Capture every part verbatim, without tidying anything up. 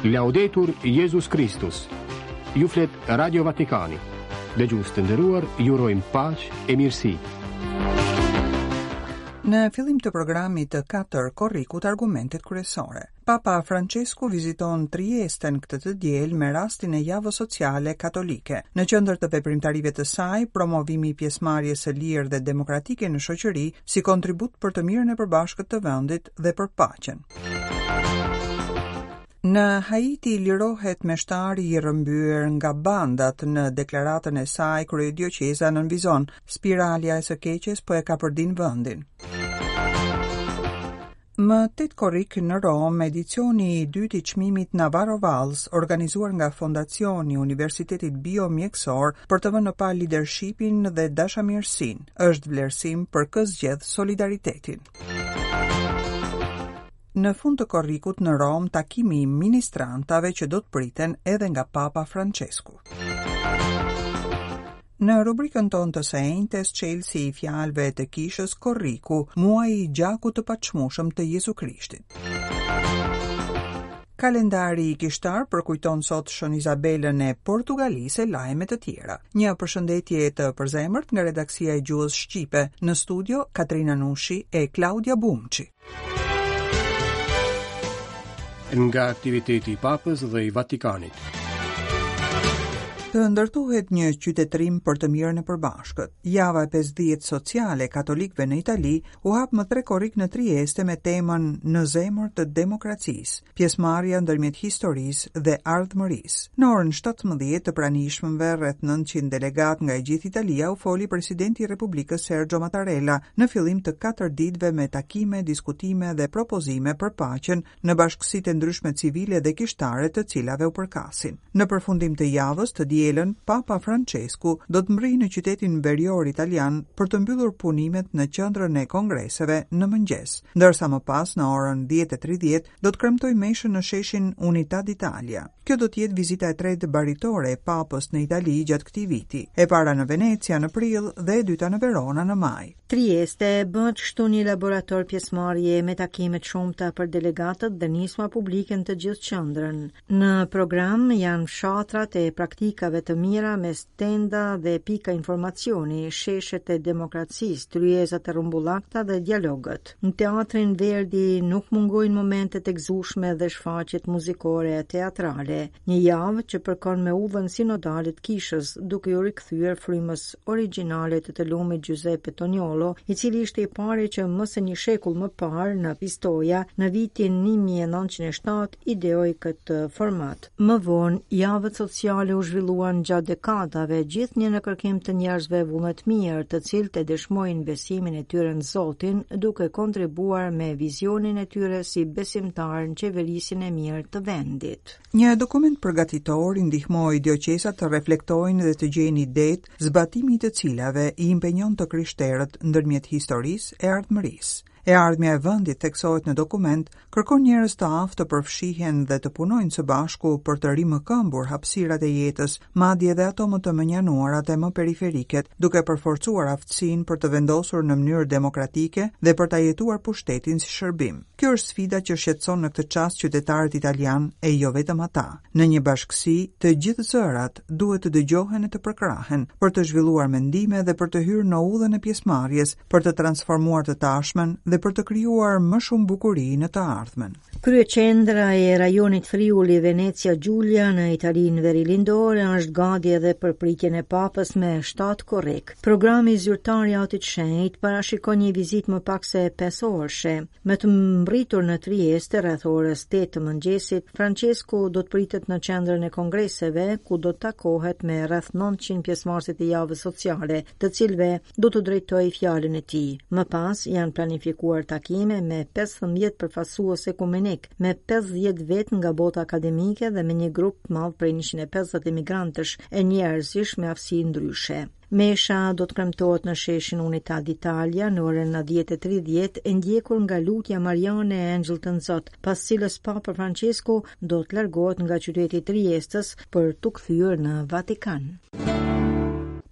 Laudetur Jezus Kristus. Ju flet Radio Vatikani. Dëgjues të nderuar, ju urojmë paqe e mirësi. Në fillim të programit të katër korrikut, argumentet kryesore. Papa Francesku viziton Triesten këtë të diel me rastin e Javës Sociale Katolike. Në qendër të veprimtarive të saj, promovimi i pjesëmarrjes së lirë dhe demokratike në shoqëri si kontribut për të mirën e përbashkët të vendit dhe për paqen. Në Haiti lirohet meshtari i rrëmbyer nga bandat. Në deklaratën e saj, kryedioqeza nënvizon: spiralja e së keqes po e kapërdin vendin. Më tetë korrik në Romë, edicioni i dytë i çmimit Navarro Valls, organizuar nga Fondacioni i Universitetit Biomjekësor për të vënë në pah leadershipin dhe dashamirësinë, është vlerësim për kë zgjedh solidaritetin. Në fund të korrikut në Romë, takimi i ministrantave që do të priten edhe nga Papa Francesku. Në rubrikën tonë të së enjtes, çelësi i fjalëve të kishës, korriku, muaji i gjakut të paçmueshëm të Jezu Krishtit. Kalendari i kishtar përkujton sot Shën Izabelën e Portugalisë e lajme të tjera. Një përshëndetje të përzemërt nga redaksia e gjuhës shqipe, në studio Katrina Nushi e Klaudia Bumçi. Nga aktiviteti i Papës dhe i Vatikanit. Të ndërtohet një qytetërim për të mirën e përbashkët. Java e pesëdhjetë sociale katolikëve në Itali u hap më tre korrik në Trieste me temën Në zemër të demokracisë, pjesëmarrja ndërmjet historisë dhe ardhmërisë. Në orën shtatëmbëdhjetë të pranishmëve rreth nëntëqind delegat nga e gjithë Italia u foli presidenti i Republikës Sergio Mattarella në fillim të katër ditëve me takime, diskutime dhe propozime për paqen në bashkësitë e ndryshme civile dhe kishtare të cilave u përkasin. Në përfundim të javës, të dielën, Papa Francesku do të mbrijë në qytetin verior italian për të mbyllur punimet në qendrën e kongreseve në mëngjes, ndërsa më pas në orën dhjetë e tridhjetë do të kremtojë meshën në sheshin Unità d'Italia. Kjo do të jetë vizita e tretë baritore e Papës në Itali gjatë këtij viti, e para në Venecia në prill dhe e dyta në Verona në maj. Trieste bëhet kështu një laborator pjesëmarrje me takime të shumta për delegatët dhe nisma publike në të gjithë qendrën. Në program janë fshatrat e praktikave të mira me stenda dhe pika informacioni, sheshet e demokracisë, tryezat e rrumbullakta dhe dialogët. Në teatrin Verdi nuk mungojnë momentet e gëzueshme dhe shfaqjet muzikore e teatrale. Një javë që përkon me udhën sinodale të kishës, duke ju rikthyer frymës origjinale të të lumit Giuseppe Toniolo, i cili ishte i pari që më se një shekull më parë në Pistoia, në vitin një mijë e nëntëqind e shtatë, ideoi këtë format. Më vonë, javët sociale u zhvilluan gjatë dekadave, gjithnjë në kërkim të njerëzve vullnetmirë, të cilët e dëshmojnë besimin e tyre në Zotin, duke kontribuar me vizionin e tyre si besimtar në qeverisjen e mirë të vendit. Një dokument përgatitor i ndihmoi dioqezat të reflektojnë dhe të gjejnë idetë, zbatimi i të cilave i impenjon të krishterët ndërmjet historisë e ardhmërisë. E ardhmja e vendit, theksohet në dokument, kërkon njerëz të aftë të përfshihen dhe të punojnë së bashku për të rimëkëmbur hapësirat e jetës, madje edhe ato më të mënjanuarat e më periferiket, duke përforcuar aftësinë për të vendosur në mënyrë demokratike dhe për ta jetuar pushtetin si shërbim. Kjo është sfida që shqetëson në këtë çast qytetarët italian e jo vetëm ata. Në një bashkësi, të gjithë zërat duhet të dëgjohen e të përkrahen për të zhvilluar mendime dhe për të hyrë në udhën e pjesëmarrjes, për të transformuar të tashmen dhe për të krijuar më shumë bukuri në të ardhmen. Kryeqendra e rajonit Friuli Venezia Giulia në Italinë verilindore është gati edhe për pritjen e Papës me shtatë korrik. Programi zyrtar i Atit Shenjt parashikon një vizitë më pak se pesë orëshe. Me të mbritur në Trieste rreth orës tetë të mëngjesit, Francesku do të pritet në qendrën e kongreseve, ku do të takohet me rreth nëntëqind pjesëmarrësit e javës sociale, të cilëve do të drejtojë fjalën e tij. Më pas janë planifikuar takime me pesëmbëdhjetë përfaqësues ekumenik, me pesëdhjetë vetë nga bota akademike dhe me një grup të madh prej njëqind e pesëdhjetë emigrantësh e njerëzish me aftësi ndryshe. Mesha do të kremtohet në sheshin Unità d'Italia në orën dhjetë e tridhjetë, e ndjekur nga lutja Mariane e Engjëllit të Zot, pas cilës Papa Francesku do të largohet nga qyteti i Triestës për t'u kthyer në Vatikan.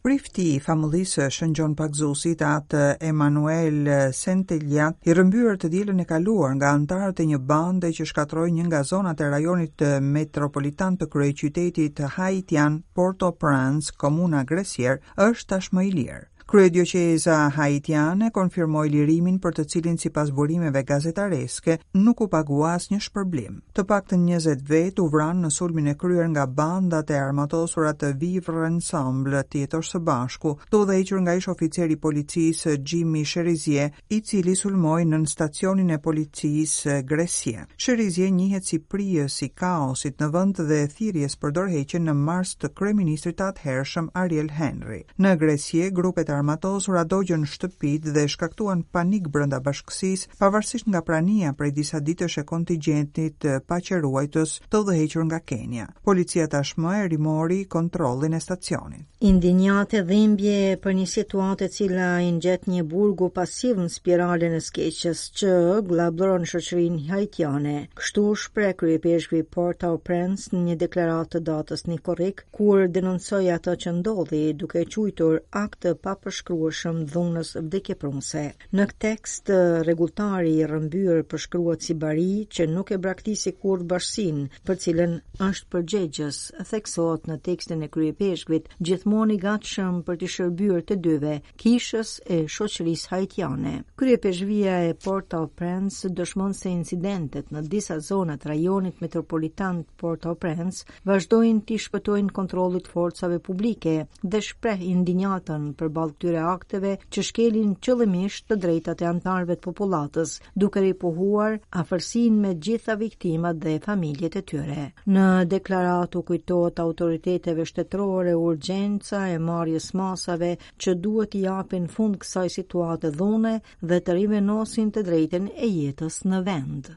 Prifti i famullisë së Shën Gjon Pagëzuesit, atë Emanuel Senteljat, i rrëmbyer të dielën e kaluar nga anëtarët e një bande që shkatërroi një nga zonat e rajonit metropolitan të kryeqytetit haitian Port-au-Prince, komuna Gressier, është tashmë i lirë. Kryedioqeza haitiane konfirmoi lirimin për të cilin sipas burimeve gazetareske nuk u pagua asnjë shpërblim. Të paktën njëzet vetë u vranë në sulmin e kryer nga bandat e armatosura të Vivre Ensemble, të jetosh së bashku, të udhëhequr nga ish oficeri i policisë Jimmy Cherizier, i cili sulmoi në stacionin e policisë Gressier. Cherizier njihet si prijës i kaosit në vend dhe thirrjes për dorëheqjen në mars të kryeministrit të atëhershëm Ariel Henry. Në Gressier, grupet e armatosura dogjën shtëpitë dhe shkaktuan panik brenda bashkësisë, pavarësisht nga prania prej disa ditësh e kontingjentit paqeruajtës të udhëhequr nga Kenia. Policia tashmë e rimori kontrollin e stacionit. Indinjatë e dhimbje për një situatë e cila i ngjet një burgu pasiv në spiralen e skeqës që gllabëron shoqërinë haitiane. Kështu shpreh kryepeshkvi Port-au-Prince në një deklaratë të datës një korrik, kur denoncoi atë që ndodhi, duke e quajtur akt të papërshkrueshëm dhunës vdekjeprurëse. Në këtë tekst, rregulltari i rrëmbyer përshkruhet si bari që nuk e braktisi kurrë bashkësinë, për cilën është përgjegjës, theksohet në tekstin e kryepeshkvit, gjithmonë i gatshëm për t'i shërbyer të dyve, kishës e shoqërisë haitiane. Kryepeshkvia e Port-au-Prince dëshmon se incidentet në disa zona të rajonit metropolitan Port-au-Prince vazhdojnë t'i shpëtojnë kontrollit forcave publike dhe shpreh indinjatën përballë këtyre akteve që shkelin qëllimisht të drejtat e anëtarëve të popullatës, duke ripohuar afërsinë me gjitha viktimat dhe familjet e tyre. Në deklaratë u kujtohet autoriteteve shtetërore urgjenca e marrjes masave që duhet t'i japin fund kësaj situate dhune dhe të rivenosin të drejtën e jetës në vend.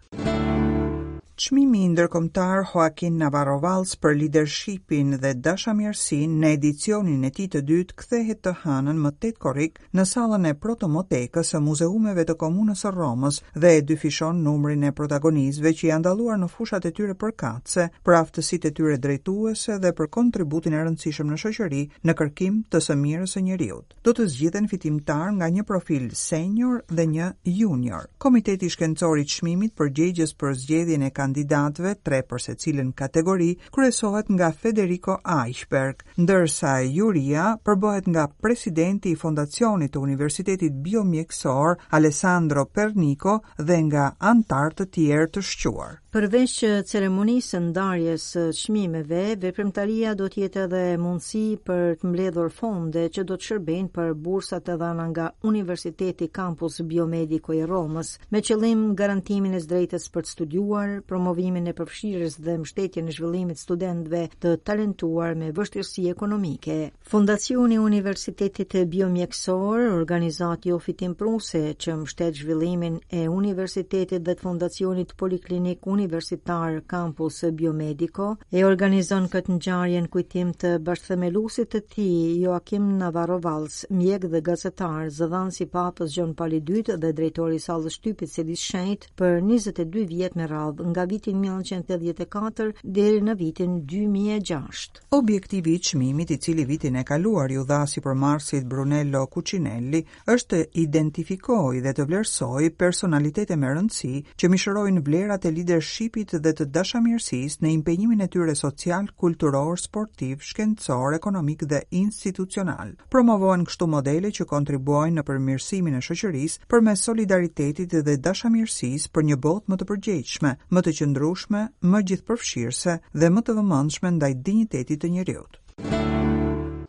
Çmimi ndërkombëtar Joaquin Navarro Valls për leadershipin dhe dashamirësinë në edicionin e tij të dytë kthehet të hënën më tetë korrik në sallën e Protomotekës së Muzeumeve të Komunës së Romës dhe e dyfishon numrin e protagonistëve që janë dalluar në fushat e tyre përkatëse, për aftësitë e tyre drejtuese dhe për kontributin e rëndësishëm në shoqëri në kërkim të së mirës së njeriut. Do të zgjidhen fitimtar nga një profil senior dhe një junior. Komiteti Shkencor i Çmimit përgjegjës për zgjedhjen e kandidatëve, tre për secilën kategori, kryesohet nga Federico Eichberg, ndërsa juria përbëhet nga presidenti i Fondacionit të Universitetit Biomjekësor Alessandro Pernico dhe nga anëtarë të tjerë të shquar. Përveç ceremonisë së ndarjes së çmimeve, veprimtaria do të jetë edhe mundësi për të mbledhur fonde që do të shërbejnë për bursat e dhëna nga Universiteti Campus Biomedico i Romës, me qëllim garantimin e drejtës për të studiuar, promovimin e përfshirjes dhe mbështetjen e zhvillimit studentëve të talentuar me vështirësi ekonomike. Fondacioni i Universitetit Biomjekësor, organizatë jo fitimprurëse që mbështet zhvillimin e universitetit dhe të Fondacionit Poliklinik Universitar Campus Biomedico, e organizon këtë ngjarje në kujtim të bashkëthemeluesit të tij, Joaquim Navarro Valls, mjek dhe gazetar, zëdhënës i Papës Gjon Pali i dytë dhe drejtori i sallës shtypit Selisë Shenjtë për njëzet e dy vjet me radhë, nga viti një mijë e nëntëqind e tetëdhjetë e katër deri në vitin dy mijë e gjashtë. Objektivi i çmimit, i cili vitin e kaluar ju dha sipërmarrësit Brunello Cucinelli, është të identifikojë dhe të vlerësojë personalitete me rëndësi që mishërojnë vlerat e leadershipit dhe të dashamirësisë në impenjimin e tyre social, kulturor, sportiv, shkencor, ekonomik dhe institucional. Promovohen kështu modele që kontribuojnë në përmirësimin e shoqërisë përmes solidaritetit dhe dashamirësisë për një botë më të përgjegjshme, më të qëndrueshme, më gjithëpërfshirëse dhe më të vëmendshme ndaj dinjitetit të njeriut.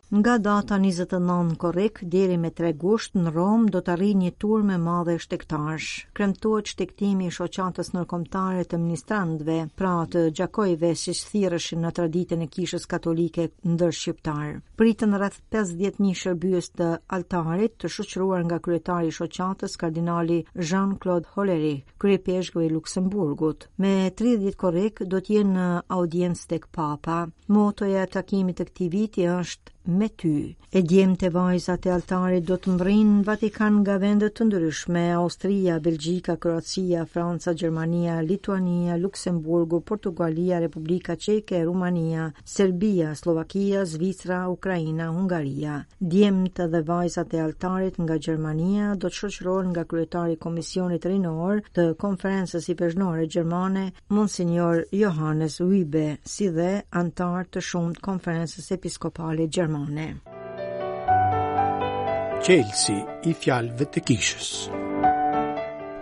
Nga data njëzet e nëntë korrik deri me tre gusht në Romë do të arrijë një tur me madhe shtegtarësh. Kremtohet shtegtimi i shoqatës ndërkombëtare të ministrantëve, pra të gjakojve siç thirreshin në traditën e Kishës Katolike ndër shqiptar. Pritën rreth pesëdhjetë mijë shërbyes të altarit, të shoqëruar nga kryetari i shoqatës kardinali Jean-Claude Hollerich, kryepeshkvi i Luksemburgut. Me tridhjetë korrik do të jenë në audiencë tek Papa. Motoja e takimit të këtij viti është me ty. E djemtë e vajzat e altarit do të mbërrijnë në Vatikan nga vende të ndryshme: Austria, Belgjika, Kroacia, Franca, Gjermania, Lituania, Luksemburgu, Portugalia, Republika Çeke, Rumania, Serbia, Sllovakia, Zvicra, Ukraina, Hungaria. Djemtë dhe vajzat e altarit nga Gjermania do të shoqërohen nga kryetari i Komisionit Rinor të Konferencës Ipeshkvnore Gjermane, Monsignor Johannes Wiebe, si dhe anëtar të shumtë Konferencës Episkopale Gjermane. Çelësi i fjalëve të kishës.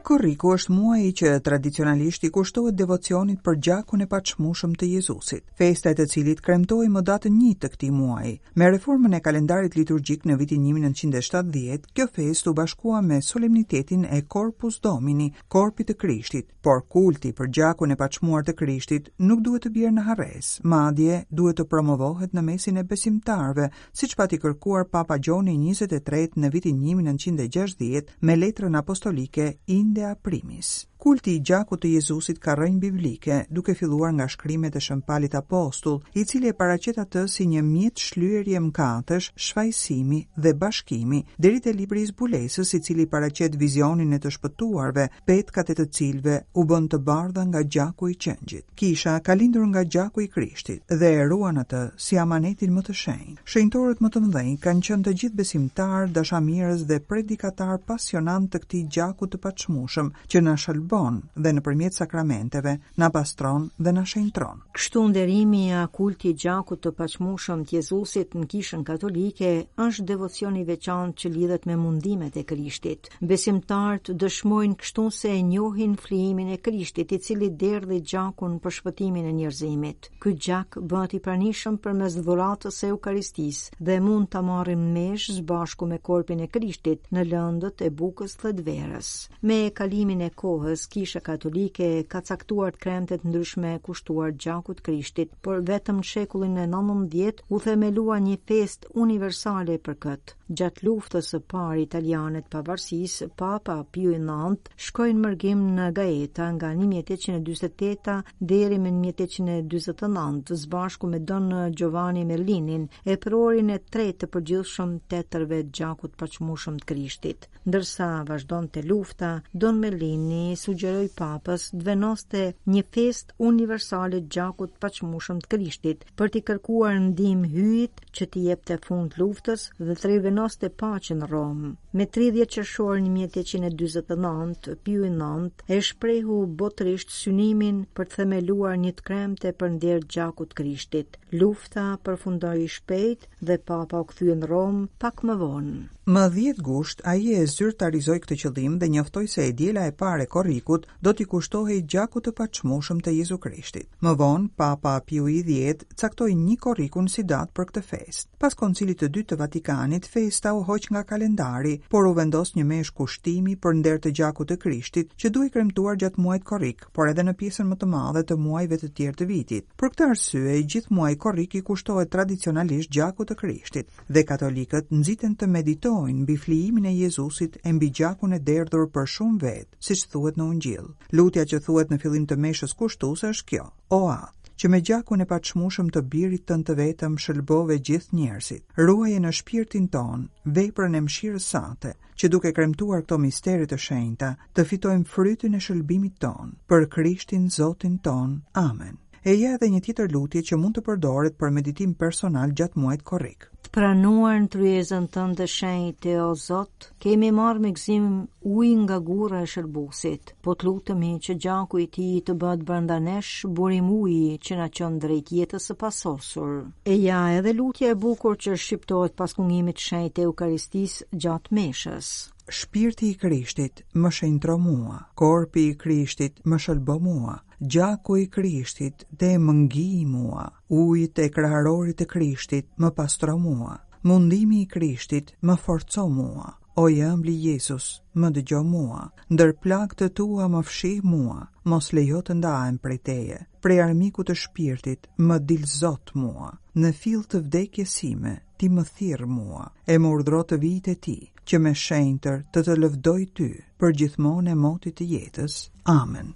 Korriku është muaji që tradicionalisht i kushtohet devocionit për gjakun e paçmueshëm të Jezusit, festa e të cilit kremtohej më datën një të këtij muaji. Me reformën e kalendarit liturgjik në vitin një mijë e nëntëqind e shtatëdhjetë, kjo festë u bashkua me solemnitetin e Corpus Domini, korpit të Krishtit, por kulti për gjakun e paçmuar të Krishtit nuk duhet të bjerë në harresë, madje duhet të promovohet në mesin e besimtarëve, siç pati kërkuar Papa Gjoni njëzet e tretë në vitin një mijë e nëntëqind e gjashtëdhjetë me letrën apostolike Indea Primis. Kulti i gjakut të Jezusit ka rrënjë biblike, duke filluar nga shkrimet e Shën Palit Apostull, i cili e paraqet atë si një mjet shlyerje mëkatesh, shfajësimi dhe bashkimi, deri te libri i zbulesës, i cili paraqet vizionin e të shpëtuarve, petkat e të cilëve u bën të bardha nga gjaku i qengjit. Kisha ka lindur nga gjaku i Krishtit dhe e ruan atë si amanetin më të shenjtë. Shenjtorët më të mëdhenj kanë qenë të gjithë besimtarë, dashamirës dhe predikatar pasionant të këtij gjaku të paçmueshëm që na shëlbon dhe nëpërmjet sakramenteve na pastron dhe na shenjtron. Kështu nderimi a kulti i gjakut të paçmueshëm të Jezusit në Kishën Katolike është devocion i veçantë që lidhet me mundimet e Krishtit. Besimtarët dëshmojnë kështu se e njohin flijimin e Krishtit, i cili derdhi gjakun për shpëtimin e njerëzimit. Ky gjak bëhet i pranishëm përmes dhuratës së Eukaristisë dhe mund ta marrim mesh së bashku me korpin e Krishtit në lëndët e bukës dhe të verës. Me kalimin e kohës, Kisha Katolike ka caktuar të kremte të ndryshme kushtuar gjakut Krishtit, por vetëm në shekullin e nëntëmbëdhjetë u themelua një festë universale për këtë. Gjatë luftës së parë italiane të pavarësisë, Papa Piu i nëntë shkoi në mërgim në Gaeta nga një mijë e tetëqind e dyzet e tetë deri më një mijë e tetëqind e dyzet e nëntë, së bashku me Don Giovanni Merlinin, eprorin e tretë të përgjithshëm të etërve të gjakut paçmueshëm të Krishtit. Ndërsa vazhdonte lufta, Don Merlini sugjeroi Papës të vendoste një festë universale të gjakut paçmueshëm të Krishtit për t'i kërkuar ndihmë Hyjit që t'i jepte fund luftës dhe të rivenoste paqen në Romë. Me tridhjetë qershor një mijë e tetëqind e dyzet e nëntë, Piu i nëntë e shprehu botërisht synimin për të themeluar një të kremte për nder të gjakut të Krishtit. Lufta përfundoi shpejt dhe Papa u kthye në Romë pak më vonë. Më dhjetë gusht, ai e zyrtarizoi këtë qëllim dhe njoftoi se e diela e parë e korrikut do t'i kushtohej gjakut të paçmueshëm të Jezu Krishtit. Më vonë, Papa Piu i dhjetë caktoi një korrikun si datë për këtë festë. Pas Koncilit të Dytë të Vatikanit, festa u hoq nga kalendari, por u vendos një meshë kushtimi për nder të gjakut të Krishtit, që duhej kremtuar gjatë muajit korrik, por edhe në pjesën më të madhe të muajve të tjerë të vitit. Për këtë arsye, gjithë muaji korrik i kushtohet tradicionalisht gjakut të Krishtit, dhe katolikët nxiten të meditojnë mbi flijimin e Jezusit e mbi gjakun e derdhur për shumë vetë, siç thuhet në Ungjillë. Lutja që thuhet në fillim të meshës kushtuese është kjo: O Atë, që me gjakun e paçmueshëm të birit tënd të vetëm shëlbove gjithë njerëzit, ruaje në shpirtin ton veprën e mëshirës sate, që duke kremtuar këto mistere të shenjta, të fitojmë frytin e shëlbimit ton, për Krishtin Zotin ton. Amen. E ja edhe një tjetër lutje që mund të përdoret për meditim personal gjatë muajit korrik. Të pranuar në tryezën tënde shenjtë, o Zot, kemi marrë me gëzim ujë nga gurra e shërbusit. Po të lutemi që gjaku i tij të bëhet brenda nesh burim uji që na çon drejt jetës së pasosur. E ja edhe lutja e bukur që shqiptohet pas kungimit të shenjtë të Eukaristisë gjatë meshës. Shpirti i Krishtit më shenjtro mua, korpi i Krishtit më shëlbo mua, gjaku i Krishtit dhe më ngi mua, ujët e kraharorit të Krishtit më pastro mua, mundimi i Krishtit më forco mua, o i ëmbli Jezus, më dëgjo mua, ndër plagë të tua më fshih mua, mos lejo të ndahem prej teje, prej armikut të shpirtit më dil Zot mua, në fill të vdekjes sime ti më thirr mua, e më urdhro të vijë te ti, që me shenjtër të të lëvdoj ty, për gjithmonë e motit të jetës. Amen.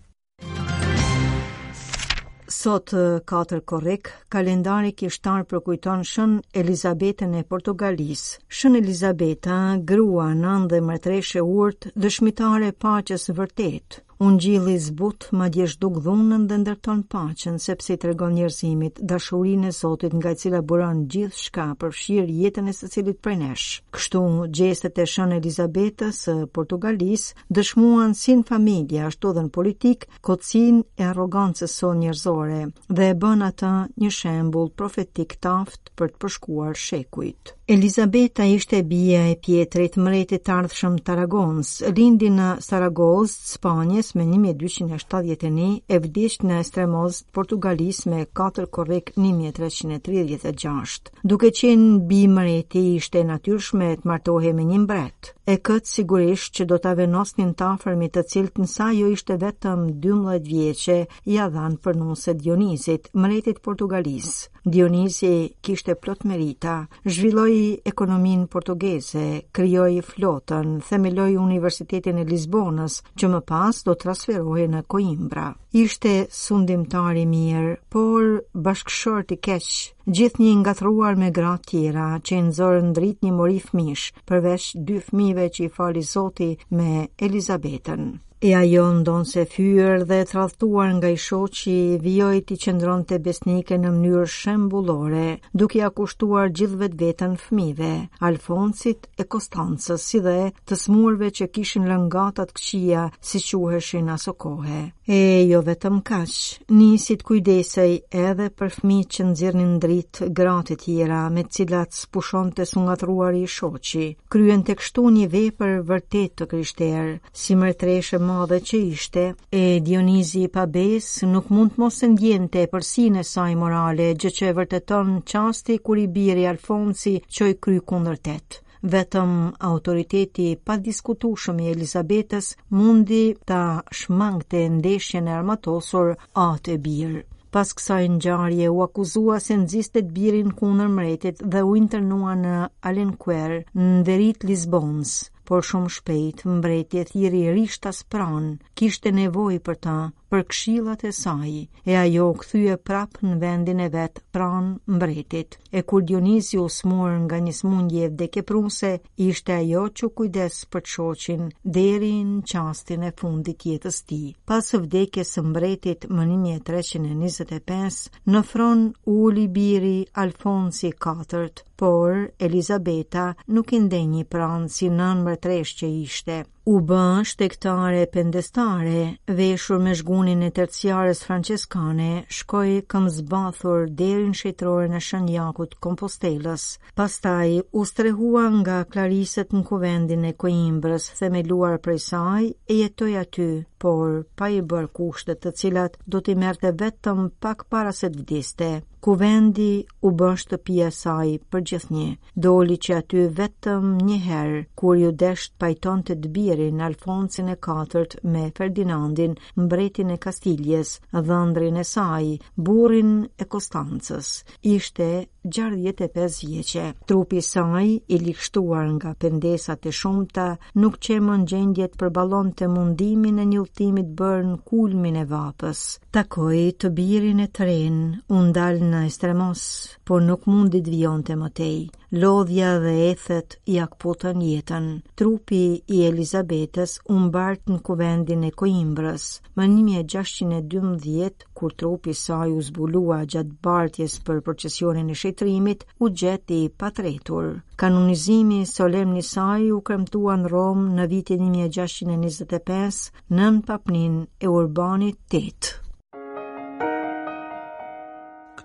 Sot katër korrik, kalendari kishtar përkujton Shën Elizabetën e Portugalisë. Shën Elizabeta, grua, nënë dhe mbretëreshë e urtë, dëshmitare e paqes vërtet. Ungjilli zbut madje zhduk dhunën dhe ndërton paqen, sepse i tregon njerëzimit dashurinë e Zotit nga e cila buron gjithçka, përfshirë jetën e secilit prej nesh. Kështu, gjestet e Shën Elizabetës së Portugalisë dëshmuan si në familje ashtu edhe në politikë kotësinë e arrogancës sonë njerëzore dhe e bën atë një shembull profetik të aftë për të përshkuar shekujt. Elizabeta ishte bija e Pietrit, mbretit të ardhshëm të Aragons, lindi në Saragozë, Spanjës me një mijë e dyqind e shtatëdhjetë e një e vdiq në Estremoz, Portugalisë me katër korrik një mijë e treqind e tridhjetë e gjashtë. Duke qenë bi mbreti, ishte e natyrshme të martohej me një mbret. E këtë sigurisht që do ta venosnin të afërmit, të cilët nësa ajo ishte vetëm dymbëdhjetë vjeçe, ja dhanë për nuse Dionizit, mbretit Portugalisë. Dionizi kishte plot merita, zhvilloi ekonominë portugeze, krijoi flotën, themeloi Universitetin e Lisbonës, që më pas do transferohej në Coimbra. Ishte sundimtar i mirë, por bashkëshort i keq, gjithnjë i ngatërruar me gra tjera që i nxorën dritë një mori fëmish, përveç dy fëmijëve që i fali Zoti me Elizabetën. E ajo, ndonse fyer dhe tradhtuar nga i shoqi, vijoi t'i qëndronte besnike në mënyrë shembullore, duke ia kushtuar gjithë vetveten fëmijëve, Alfonsit e Konstancës, si dhe të smurve që kishin lëngata të këqija, si quheshin aso kohe. E jo vetëm kaq, nisi të kujdesej edhe për fëmijët që nxirrnin dritë gratë e tjera, me të cilat s'pushonte së ngatërruari i shoqi. Kryente kështu një vepër vërtet të krishterë, si mbretëreshë madhe që ishte, e Dionizi i pabes nuk mund të mos e ndjente epërsinë e saj morale, gjë që e vërteton çasti kur i biri Alfonsi çoi kry kundër tet. Vetëm autoriteti i padiskutueshëm i Elizabetës mundi ta shmangte ndeshjen e armatosur atë e bir. Pas kësaj ngjarje u akuzua se nxiste të birin kundër mbretit dhe u internua në Alenquer, në veri të Lisbonës, por shumë shpejt mbreti e thirri rishtas pranë, kishte nevojë për ta, për këshillat e saj, e ajo u kthye prapë në vendin e vet pranë mbretit. E kur Dionizi u smur nga një sëmundje vdekjeprurëse, ishte ajo që u kujdes për të shoqin deri në çastin e fundit të jetës tij. Pas vdekjes së mbretit më një mijë e treqind e njëzet e pesë, në fron u uli biri Alfonsi i katërt, por Elizabeta nuk i ndenji pranë si nën mbretëresh që ishte. U bë shtektare pendestare, veshur me zhgunin e terciares franceskane, shkoi këmbëzbathur deri në shejtroren e Shën Jakut Kompostelës. Pastaj u strehua nga klarisët në kuvendin e Coimbrës, themeluar prej saj, e jetoi aty, por pa i bërë kushtet të cilat do t'i merrte vetëm pak para se të vdiste. Kuvendi u bë shtëpia e saj për gjithnjë. Doli që aty vetëm një herë, kur ju desh të pajtonte të birin Alfonsin e katërt me Ferdinandin, mbretin e Kastiljes, dhëndrin e saj, burrin e Konstancës. Ishte gjashtëdhjetë e pesë vjeçe. Trupi i saj, i ligshtuar nga pendesat e shumta, nuk qe më në gjendje të përballonte mundimin e një udhëtimit bërë në kulmin e vapës. Takoi të birin e tren, u ndal në Estremos, por nuk mundi të vijonte më tej. Lodhja dhe ethet ia kputën jetën. Trupi i Elizabetës u mbart në kuvendin e Coimbrës. Më një mijë e gjashtëqind e dymbëdhjetë, kur trupi i saj u zbulua gjatë bartjes për procesionin e shetrimit, u gjet i patretur. Kanonizimi solemn i saj u kremtua në Romë në vitin një mijë e gjashtëqind e njëzet e pesë nën papnin e Urbanit tetë.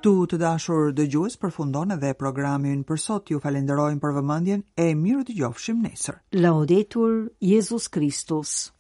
Këtu të dashur dëgjues përfundon edhe programi ynë për sot. Ju falenderojmë për vëmendjen e mirë dëgjofshim nesër. Laudetur Jezus Kristus.